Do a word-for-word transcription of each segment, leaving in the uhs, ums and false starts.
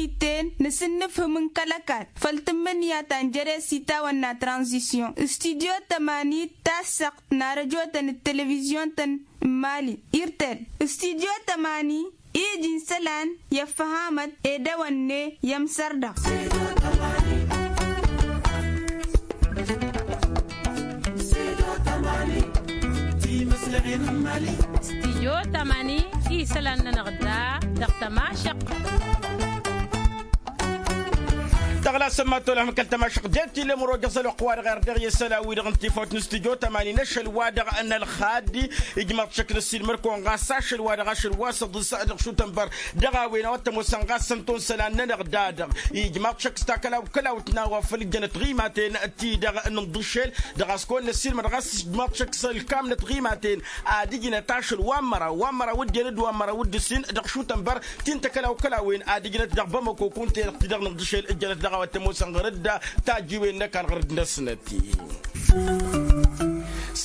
Iten n-asǝnnǝfhǝm n-kăl-ăkall făll-tǝmmǝnǝya ta n-jere s-itawănna tranzisyon. Studyo tămani tassăɣt n-arăjotăn d-televizyon-tăn n-imali irtel. Studyo tămani iji n-isălan i-ăffăhamăt edăwănne i-ămsărdăɣ. Studyo tămani i-isălan-nănăɣ da dăɣ-tămašăɣt. Tăɣlasăm ma tolăhăm kăl-tămašăɣt det-illa măro jăẓăl oqq wa dăɣ-erdeɣ i-isălan-wi-dăɣ n-tifawt n-studyo tămani n-ašăl-wa-dăɣ n-ălxad. Ijmaḍ-t šăkk n-ăssiilmăr-kăwăn ɣas ašăl-wa-dăɣ ašăl wa s-ăḍǝs dăɣ-šutănbăr. Dăɣ-a-wen a-wa t-ămoosăn ɣas săn-tonsălan-nănăɣ da-dăɣ ijmaḍ-t šăkk s-takălaw-kălawt n-a-wa făll-ǝjjănăt ɣimaten. Ti-dăɣ n-inḍǝššel dăɣ-a-s kăwăn-năssiilmăd ɣas ijmaḍ-t šăkk s-ǝlkamnăt ɣimaten. Ad-ǝjnăt ašăl wa n-măraw wa n-măraw d-en d-wa n-măraw d-ǝssin dăɣ-šutănbăr. Ti n-takălaw-kălawen ad-ǝjnăt dăɣ-bamăko kunta-i-dăɣ ti-dăɣ n-inḍǝššel ǝjjănăt dăɣ-a-wa t-ămoosăn ɣărăt da tajjiwen n-ăkall ɣărăt-năsnăt.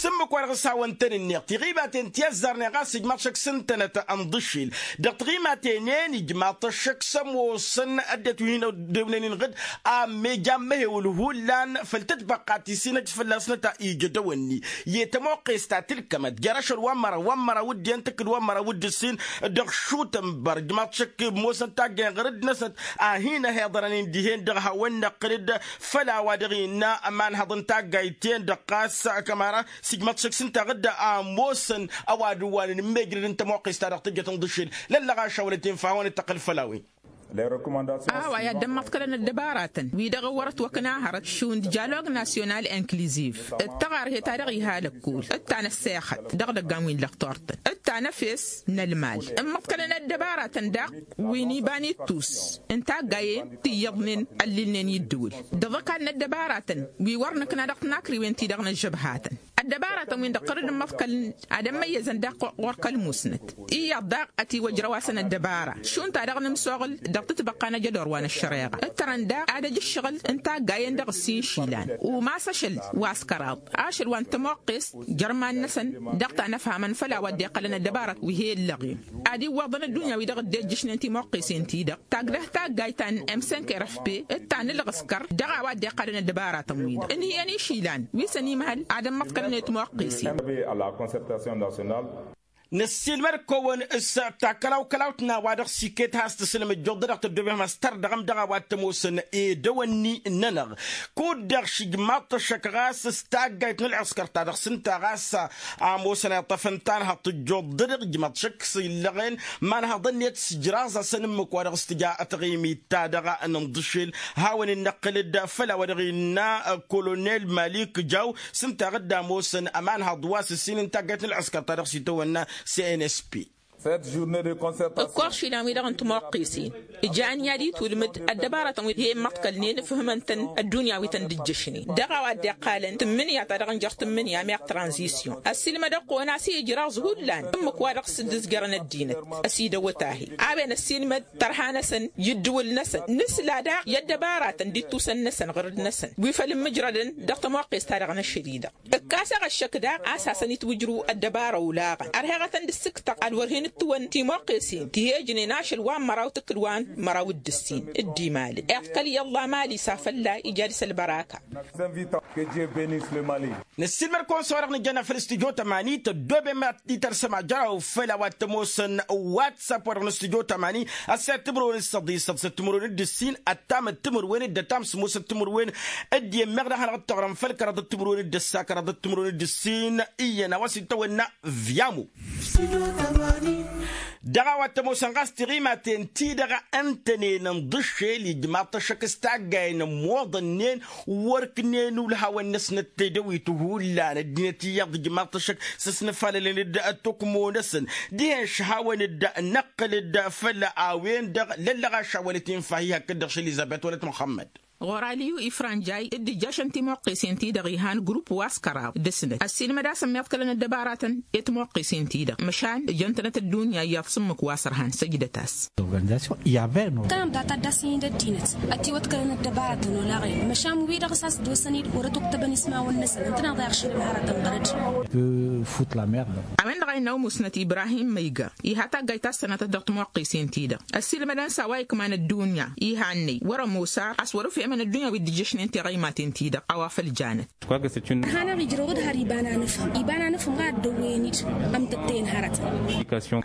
S-ǝmmǝk-wa-dăɣ s-hawăn-tăn-ǝnneɣ tiɣibaten ti ăzzarnen ɣas ijmaḍ-t šăkk s-ǝntănăt ănḍǝššel dăɣ-tiɣimaten-en ijmaḍ-t ăššăk s-ămoosăn ăddinăt wi hin-ăddewnen-in ɣǝd. Ammej ammăhewǝl hullan făll-tǝtbăqqa ti s-hin-ăj fălla-s năta ija dăw-ǝnni i-tămoqqes ta tǝlkămăt jer-ašăl wa n-măraw wa n-măraw d-en tǝkkǝd wa n-măraw d-ǝssin. Dăɣ-šutănbăr ijmaḍ-t šăkk ămoosăn taggayăn ɣărăt-năsnăt a hin-ăhiḍărăn-in dihen-dăɣ hawăn-năqqǝl-dd. Făll-a-wa dăɣ-innă ămanhăḍ n-taggayt-en-dăɣ ɣas kămara s-ijmaḍ-t šăkk s-ǝnta ɣǝdda a ămoosăn ăwadǝwwalăn n-mejrăd n-tămoqqes-ta-dăɣ tǝjjăt ǝnḍǝššel. Lăllăɣaš a wălăt infa a-wen-dd-tăqqǝl făll-a-wen. Ăwa i-ad-dd-ămmăḍkălăn ăddăbaratăn wi-dăɣ ǝwwărăt wăkk n-ahărăt šund dialog nasyonal inkliziv d-tăɣarhe ta dăɣ-iha lăkkol d-ta n-ăssexăt dăɣ-idăggan wi n-lăqtor-tăn d-ta n-efes n-ălmal. Ǝmmăḍkălăn ăddăbaratăn daɣ wi n-iba n-ittus n-taggayen ti iyyăḍnen ăllilnen i-ǝddǝwǝl d-iḍăkal n-ăddăbaratăn wi wăr nǝkna dăɣ-tinakriwen-ti-dăɣ n-ăžžăbhatăn. Ăddăbaratăn-win-dăɣ tărǝd ǝmmăḍkălăn ad-ămmăyyăzăn daɣ ɣur-kăl-musnăt. Iyyăḍ daɣ ătiwăjrăw-asăn ăddăbara šund ta dăɣ-nǝmsoɣǝl dăɣ-tǝtbăqqa n-ajădor wa n-ăššăreɣa d-tărăn daɣ ad-ăj ǝššăɣǝl n-taggayen dăɣ-ǝssin išilan. Umas ašăl wa s-kăraḍ ašăl wa n-tămoqqes jer-iman-năsăn dăɣ-ta n-ăfhamăn făll-a-wa dd-iqqălăn ăddăbara wi he-ǝllăɣen ad-iwwăḍăn ăddunya-wi-dăɣ dd-ejjǝšnen timoqqesen-ti-dăɣ. Tagdăh taggayt ta n-emsenk rfp d-ta n-ǝlɣǝskăr dăɣ-a-wa dd-iqqălăn ăddăbaratăn-wi-dăɣ ǝnhǝyăn išilan wi s-ănimhăl ad-ămmăḍkălăn i-timoqqesin. Năssiilmăd-kăwăn s-takălaw-kălawt n-a-wa dăɣ-s iket has-tǝslăm ǝjjuḍ-dăɣ tăddoobem has-tărdăɣăm dăɣ-a-wa t-ămoosăn edăwănni-nănăɣ. Kud-dăɣ šǝjmaḍ-t ăššăk ɣas s-taggayt n-ălɣǝskăr ta dăɣ-s ǝnta ɣas a ămoosăn iṭṭăfăn tanhăḍt ǝjjuḍ-dăɣ ǝjmaḍ-t šăkk s-illăɣen. Imanhăḍăn-net s-ǝjraẓ-asăn ǝmmǝk wa dăɣ-s tǝja taɣimit-ta-dăɣ n-inḍǝšel. Hawăn-in-năqqǝl-dd făll-a-wa dăɣ-innă kolonel malik jaw s-ǝnta a ɣǝdda ămoosăn ămanhăḍ wa s-ǝssin n-taggayt n-ălɣǝskăr ta dăɣ-s itawănna cnsp. Ǝkkoɣ išilan-wi-dăɣ n-timoqqesen ǝjan i-ad-itwǝlmǝd ăddăbaratăn wi he-immăḍkălnen ǝfhǝmăn-tăn ăddunya wi tăn-dd-ǝjjǝšnen dăɣ-a-wa dd-iqqalăn tǝmmǝnǝya ta dăɣ-nǝjăr tǝmmǝnǝya meɣ tranzisyon ăssiilmăd ăqqoon a-s ijraẓ hullan ǝmmǝk wa dăɣ-s dd-ǝzjărăn ăddinăt. Ăsidăwwăt ahi a-wen ăssiilmăd tărha-năsăn i-ǝddǝwǝl-năsăn nǝsla daɣ i-ăddăbaratăn d-ittusăn-năsăn ɣǝrǝd-năsăn wi făl ǝmmǝjrădăn dăɣ-tămoqqes-ta-dăɣ n-ašăl-i-dăɣ. Ǝkkasăɣ ăššăk daɣ a-s hasăn-itwǝjrǝw ăddăbara olaɣăn ărheɣătăn d-ǝssǝktăɣ ad-wăr hin-ǝttǝwăn timoqqesen ti he-ǝjnen ašăl wa n-măraw tǝkkǝl wa n-măraw d-ǝssin d-imalǝn iḍkăl i-ăllah mali s-afălla ija dăɣ-s ălbăraka. Năssiilmăd-kăwăn s-wa-dăɣ nǝjjănna făll-studyo tămani tăddoobem ad-t-itărsăm ajăraw făll-a-wa t-ămoosăn whatsapp wa dăɣ-nǝstudyo tămani. Ăssayăt timǝrwen d-săḍisăḍ s-timǝrwen d-ǝssin ăttam d-timǝrwen d-ăttam s-musăt timǝrwen d-iyyăn meɣ d-ad-hanăɣ-dd-tăɣrăm făll-kăraḍăt timǝrwen d-ăssa kăraḍăt timǝrwen d-ǝssin. Iyyăn a-wa s-itawănna viamo. Dăɣ-a-wa t-ămoosăn ɣas tiɣimaten-ti-dăɣ ǝntănen ǝnḍǝššel ijmaḍ-t ăššăk s-taggayen ămmoḍănnen wăr ǝknen ulhawăn-năsnăt tedăwit hullan ăddinăt iyyăḍ ijmaḍ-t ăššăk s-ăsnăfalălăn-dd ăttukmo-năsăn. Dihen šăhawăn-dd năqqǝl-dd făll-a-wen-dăɣ lăllăɣ ašawălăt infa-hi hakd-dăɣ šălizăbet wălăt muxămmăd. Ɣur-aliyu ifrănjay dd-ǝjjăšăn timuqqesen-ti-dăɣ ihan grupp wa s-kăraḍ dăr-snăt ăssiilmăd-asăn miḍkălăn ăddăbaratăn i-timuqqesen-ti-dăɣ măšan ǝjăn-tănăt ăddunya iyyăḍ s-ǝmmǝk wa s-ărhan săjdăt-as. Tănăḍ data dd-ass-inǝd ăddinăt ătiwăḍkălăn ăddăbaratăn olaɣen măšan wi-dăɣ s-a-s dd-osăn-dd wăr ătwăktăbăn ismawăn-năsăn ǝntăneḍ i-aɣšăl ămhărătăn ɣărăd. Fut la merde. A-wen-dăɣ Innă umusnăt ibrahim măyga iha taggayt ta s-sănatăt dăɣ-timoqqesen-ti-dăɣ ăssiilmădăn s-a-wa ikman ăddunya iha ănnăy wăr-ămoos ar a-s wăr-ǝfhemăn ăddunya wi dd-ǝjjăšnen tiɣăymaten-ti-dăɣ a-wa făl janăt. Ăhan a ɣ-ijrăw d-har iba n-anǝfhǝm iba n-anǝfhǝm ɣa ăddăwwen-dd ămtăttăyăn hărătăn.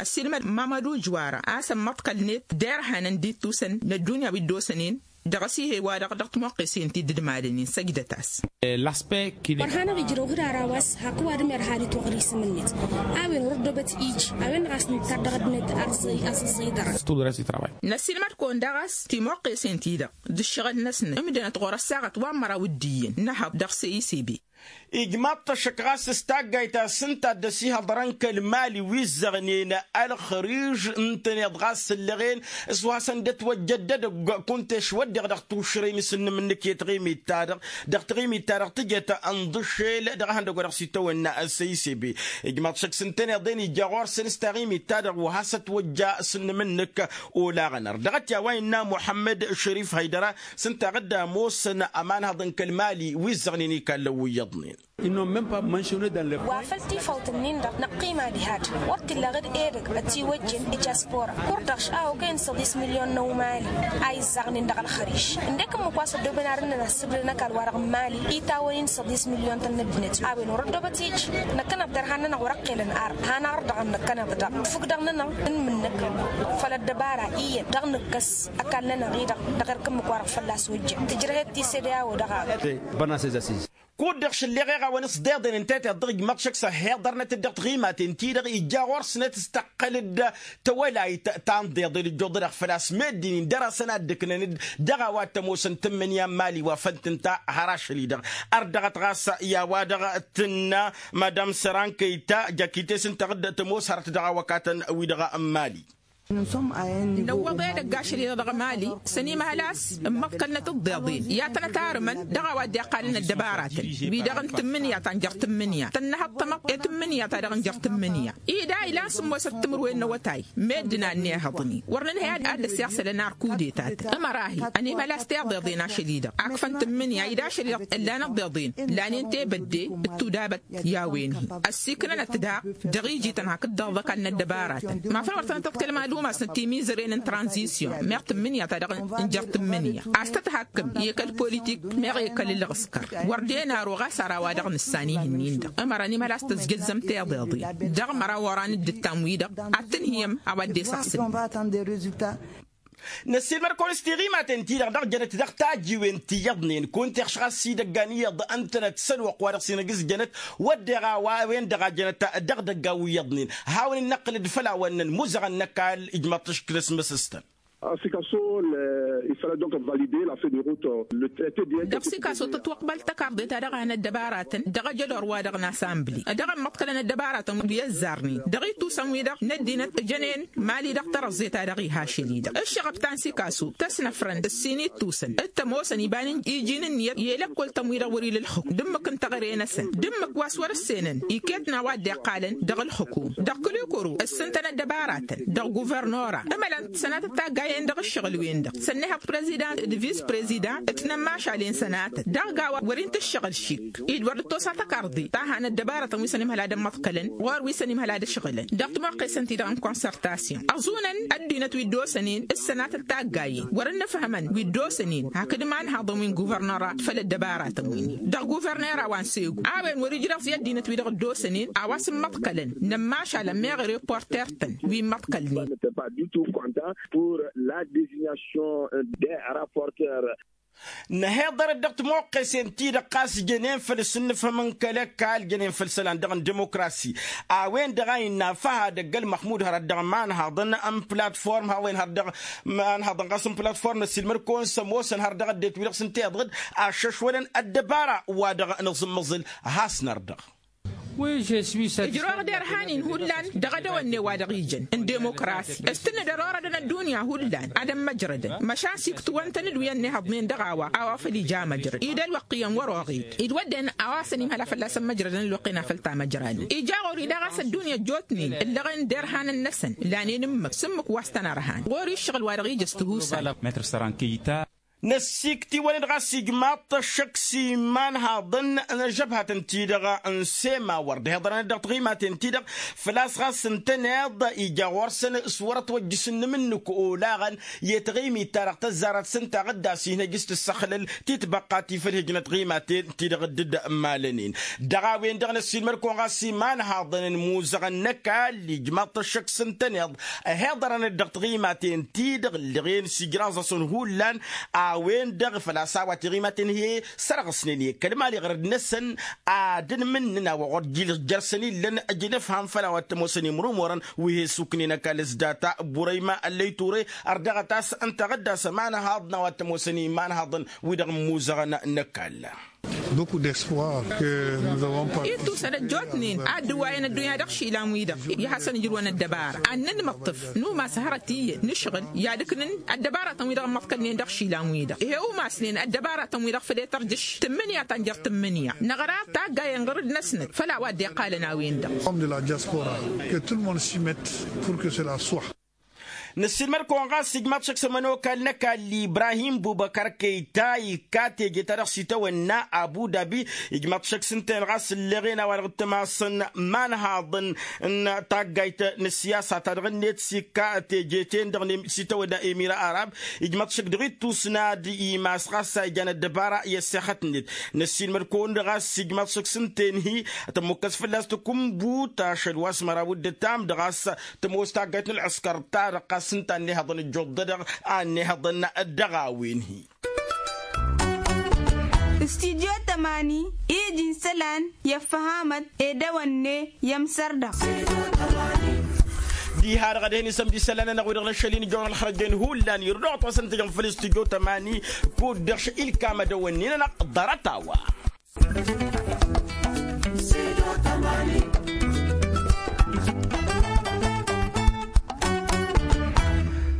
Ăssiilmăd mamădu jwara a-s ămmăḍkălnet derhănăn d-ittusăn n-ăddunya wi dd-osănen dăɣ-ăsihe-wa-dăɣ dăɣ-timoqqesen ti dd-madăn-in săjdăt-as. Wăr hanăɣ-ijrăw hǝdar a-wa s-hak ǝwadǝm irha ad-itwăɣrǝy isǝm-net a-wen wăr-ăddobăt ij a-wen-dăɣ a-s nǝttar dăɣ-ăddinăt. Aẓǝẓẓăy dăɣ-s. Năssiilmăd-kăwăn daɣ a-s timoqqesen-ti-dăɣ d-ǝššăɣǝl-năsnăt ǝmdănăt ɣur-ăssaɣăt wa n-măraw d-iyyăn n-ehăḍ dăɣ-seyisebe. Ijmaḍ-t ăššăk ɣas s-taggayt ta s-ǝnta a dd-ăsihăḍărăn kăl-mali wi ǝzzăɣnen ălxăriž ǝntăneḍ ɣas ǝllăɣen s-wa s-ăndăt wăjjăt d-edăgg kunta ešwăddeɣ dăɣ-tušrăy n-asǝnnǝm-nǝk i-taɣimit-ta-dăɣ dăɣ-taɣimit-ta-dăɣ tǝjăt ǝnḍǝšel dăɣ-ehăndăgg wa dăɣ-s itawănna ăssăyis ebe. Ijmaḍ-t šăkk s-ǝntăneḍ-en ija ɣur-săn s-taɣimit-ta-dăɣ wa has-ătwăjja asǝnnǝm-nǝk. Olaɣăn ar dăɣ-t i-a-wa innă muḥămmăd šărif hăydăra s-ǝnta a ɣǝdda ămoosăn ămanhăḍ n-kăl-mali wi ǝzzăɣnen ikallăn wi iyyăḍnen. Wa făl tifawt-nin-dăɣ năqqima diha-dd wăr t-illa ɣǝd edăgg ătiwăjjen i-jaspora. Kur-dăɣ a okăyăn săḍis milyon n-ăwmali a izzăɣnen dăɣ-ălxăriš. Ǝndek ǝmmǝk wa s-ăddooben ar ǝnnăn ăssǝbdăn ăkall-wa-dăɣ n-mali itawăn-in săḍis milyon-tăn n-ăddinăt a-wen wăr-ăddoobăt ij. Năkkăneḍ derhan-nănăɣ wăr-ăqqelăn ar han aɣrǝdăɣăn năkkăneḍ-dăɣ tǝfǝk dăɣ-nănăɣ. Ǝnmǝnnăk făll-ăddăbara iyyăn dăɣ-nǝkkăs ăkall-nănăɣ-i-dăɣ dăɣ-erk ǝmmǝk wa-dăɣ fălla-s ojjăn tǝjrăhet ti s-ede a-wădăɣ a. Kud-dăɣ šălleɣ eɣawăn s-deḍen n-teteḍ dăɣ-ijmaḍ šăkk s-ăhhiḍărnăt-dd dăɣ-tiɣimaten-ti-dăɣ ija ɣur-snăt s-tăqqăl-dd tawălayt ta n-deḍen ǝjjuḍădăɣ făl-a-s meddǝn-in dăr-asăn ad-dd-ǝknăn-dd dăɣ-a-wa t-ămoosăn tǝmmǝnǝya n-mali wa făl tǝnta har ašăl-i-dăɣ. Ărdăɣăt ɣas i-a-wa-dăɣ tǝnna madam sărankăyta jăkite-s ǝnta a dd-tămoos hărăt dăɣ-awăkatăn-wi-dăɣ n-mali. Năwwăḍ edăgg ašăl-i-dăɣ dăɣ-mali s-ănimhăl a-s ǝmmăḍkălnăt ǝḍḍeḍen i-ad-tănăt-arǝmăn dăɣ-a-wa dd-iqqalăn ăddăbaratăn wi-dăɣ n-tǝmmǝnǝya ta n-jer-tǝmmǝnǝya tănnăhăḍ tamăḍt i-tǝmmǝnǝya ta dăɣ-n jer-tǝmmǝnǝya. I-da ilan sǝmmosăt timǝrwen n-awătay meddǝn a ănnihăḍnen wăr nǝnhăy ad-dd-ăssixsălăn ar kudetatăn ămăra-hi ănimhăl a-s tiḍeḍen ašăl-i-dăɣ akfăn tǝmmǝnǝya i-d ašăl-i-dăɣ ǝllanăt tiḍeḍen lanen tebădde d-tudabăt i-a-wen-hi ăssiiknănăt daɣ dăɣ-iji-tăn hakd-dăɣ d-ăkall n-ăddăbaratăn. Mafăn wăr tănăt-ăḍkălăm ad-umasnăt timizăren n-tranzisyon meɣ tǝmmǝnǝya ta dăɣ-n jer-tǝmmǝnǝya a-s tăt-hakkăm i-kăl-politik meɣ i-kăl-ǝlɣǝskăr. Wăr den aru ɣas ar a-wa dăɣ-nǝssan ihǝnnin-dăɣ ămăra n-imhăl a-s tăzjăzzăm tiḍeḍen dăɣ-măraw oran dd-ǝttam-wi-dăɣ ad-tǝnhǝyăm a-wa dd-e-săɣsǝlnăm. Năssiilmăd-kăwăn s-tiɣimaten-ti-dăɣ dăɣ-jănăt dăɣ-tajiwen ti iyyăḍnen kunta ixšăɣ a-s idăggan iyyăḍ ǝntănăt s-ălwăqq wa dăɣ-s inǝgǝzjănăt wădden a-wa a-wen-dăɣ a jănăt dăɣ-idăggan wi iyyăḍnen. Hawăn-in-năqqǝlăd făll-a-wăn-năn muzăɣăn n-ăkall ijmaḍ-t ăškǝl asmăsăstăn. Sikaso. Dăɣ-sikaso tǝtwăqbăl tăkarḍe ta dăɣ-a hanăt dăbaratăn dăɣ-ajădor wa dăɣ-nasambli dăɣ-ămmăḍkălăn ăddăbaratăn wi ăzzarnen dăɣ-itusăn-wi-dăɣ n-ăddinăt ǝjănen mali dăɣ-tărăẓẓe ta dăɣ-iha ašăl-i-dăɣ. Ǝššăɣăb ta n-sikaso tăsnăfrăn ǝssin ittusăn d-tămoosăn iba n-iji n-ǝnniyăt i-lăkkol-tăn-wi-dăɣ wăr-ila ǝlxǝkum d-ǝmmǝk n-taɣre-năsăn d-ǝmmǝk wa s-wăr-ǝssenăn iket n-a-wa dd-iqqalăn dăɣ-ǝlxǝkum. Dăɣ-kăl-ikuru ǝssǝntăn ăddăbaratăn dăɣ-guvărnora ǝmălăn sănatăt taggayen dăɣ-ǝššăɣǝl-wen-dăɣ sănnihăḍ prezidant d-vis prezidant d-inămmašalen sănatăt daɣ gawa wăr-inta ǝššăɣǝl šik-i d-wăr dd-tosa tăkarḍe ta han ăddăbarătăn wi s-ănimhăl ad-ămmăḍkălăn ɣur-wi s-ănimhăl ad-ăšɣǝlăn dăɣ-timăqqesen-ti-dăɣ n-konsărtasyon ăẓunăn ăddinăt wi dd-osănen s-sănatăt taggayen wăr-dd-nǝfhămăn wi dd-osănen hakd imanhaḍăn wi n-guvărnăra făll-ăddăbaratăn-win-i dăɣ-guvărnăra wa n-segu a-wen wăr-ijreẓ i-ăddinăt wi-dăɣ dd-osănen a-wa s-ǝmmăḍkălăn n-ămmašalăn meɣ reporter-tăn wi ǝmmăḍkălnen. Pour la dezignation de raporter. Năheḍărăt dăɣ-timoqqesen-ti-dăɣ ɣas jănen făll-asǝnnǝfhăm n-kăl-ăkall jănen făll-isălan dăɣ-n dimokrasi a-wen-dăɣ a innă a făhadăgg ălmăxmud hărăt dăɣ-imanhaḍăn n-platform hawăn hărăt dăɣ-imanhaḍăn ɣas n-platform n-ăssiilmăd-kăwăn s-ămoosăn hărăt dăɣ-ăddinăt wi-dăɣ s-ǝnta iḍăd aššăšwălăn ăddăbara wa dăɣ-nǝẓǝmmăẓǝl. Has-năr-dăɣ. Ǝjrăwăɣ derhan-in hullan dăɣ-edăwănne wa dăɣ-ijăn n-dimokrasi s-tǝnnǝdăr orădăn ăddunya hullan ad-ămmăjrădăn măšan s-iktǝwăn-tăn-dd wi ănnihăḍnen dăɣ-a-wa a-wa făl ija amăjrăd-i d-ălwăqq iyyăn wăr-oɣed-i d-wădden a-wa s-ănimhăl a fălla-s ămmăjrădăn ălwăqq-en a făl tamăjradăn ija ɣur-i daɣ a-s ăddunya ăjjootnen ǝllăɣen derhanăn-năsăn lanen ǝmmǝk s-ǝmmǝk wa s-tăn-ărhan ɣur-i ǝššăɣǝl wa dăɣ-ija s-tihusal. Năssikt'-iwăn-dd ɣas ijmaḍ-t ăššăk s-imanhaḍăn n-ăžžăbhatăn-ti-dăɣ n-sema wăr dd-hiḍărăn-dd dăɣ-tiɣimaten-ti-dăɣ. Făl-a-s ɣas ǝntăneḍ ija ɣur-săn s-wăr-ătwăjjǝsăn n-imǝnnǝk olaɣăn i-taɣimit-ta-dăɣ tăzzarăt s-ǝnta ɣǝddas-i hin-ăj s-tǝssăxlăl titbăqqa ti făll-hijnăt tiɣimaten-ti-dăɣ dd-malănen. Dăɣ-a-wen-dăɣ năssiilmăd-kăwăn ɣas imanhaḍăn n-imuzăɣăn n-ăkall ijmaḍ-t ăššăk s-ǝntăneḍ ăhiḍărăn-dd dăɣ-tiɣimaten-ti-dăɣ ǝllăɣen s-ijraẓ-asăn hullan. A-wen-dăɣ făl-a-s a-wa tiɣimaten he-sărɣǝsnen i-kăl-mali ɣărăd-năsăn ad-ǝnmǝnnǝn a-wa ɣur-jilǝs jer-săn illăn ăj inǝfham făll-a-wa t-ămoosăn imrumurăn wi he-suknen ăkall s-data burăyma ăllăy ture. Ărdăɣăt a-s ǝnta ɣǝddas ămanhaḍ n-a-wa t-ămoosăn imanhaḍăn wi-dăɣ n-imuzăɣăn n-ăkall. Ittusăn ăjjootnen ad-dd-ǝwwayăn ăddunya dăɣ-išilan-wi-dăɣ i-hasăn-ǝjrǝwăn ăddăbara ad-nǝnmǝṭṭǝf. Numas hărăt iyyăn nǝšɣǝl i-ad-ǝknǝn ăddăbaratăn-wi-dăɣ ǝmmăḍkălnen dăɣ-išilan-wi-dăɣ ih' e-umasnen ăddăbaratăn-wi-dăɣ făll-e-tărjǝš tǝmmǝnǝya ta n-jer-tǝmmǝnǝya. Năɣra taggayen ɣǝrǝd-năsnăt făll-a-wa dd-iqqalăn a-wen-dăɣ. Om de la diaspora ke tout le monde s-imet pur ke s-la soa. Năssiilmăd-kăwăn ɣas ijmaḍ šăkk s-ămănokal n-ăkall ibrahim bubăkar kăyta ikka teje-ta-dăɣ s-itawănna abu dabi. Ijmaḍ šăkk s-ǝnta-en ɣas ǝlleɣen a-wa-dăɣ t-ămasăn imanhaḍăn n-taggayt n-ăssiyasa-ta-dăɣ-net s-ikka teje-ten-dăɣ s-itawănna emira arab. Ijmaḍ šăkk dăɣ-ittus n-ad-imas ɣas a ijan ăddăbara i-ăssexăt-net. Năssiilmăd-kăwăn-dd ɣas ijmaḍ šăkk s-ǝnta-en-hi tămmukkăs fălla-s tǝkumbut ašăl wa s-măraw d-ǝttam d-ɣas tămoos taggayt n-ălɣǝskăr-ta-dăɣ ɣas ǝnta a ănnihăḍăn ăjjuḍ-dăɣ a ănnihăḍăn. Dăɣ-a-wen-hi. Studyo tămani iji n-isălan i-ăffăhamăt ed ewănne i-ămsăr-dăɣ. Diha-dăɣ ad-hin-isămd isălan-nănăɣ wi-dăɣ n-ašăl-in ijawăn ălxărăjăn hullan irduɣ-t wa s-ăntăjăn făll-studyo tămani. Kud-dăɣ šăl ilkam ad-ewănne-nănăɣ ḍarăt-a-wa.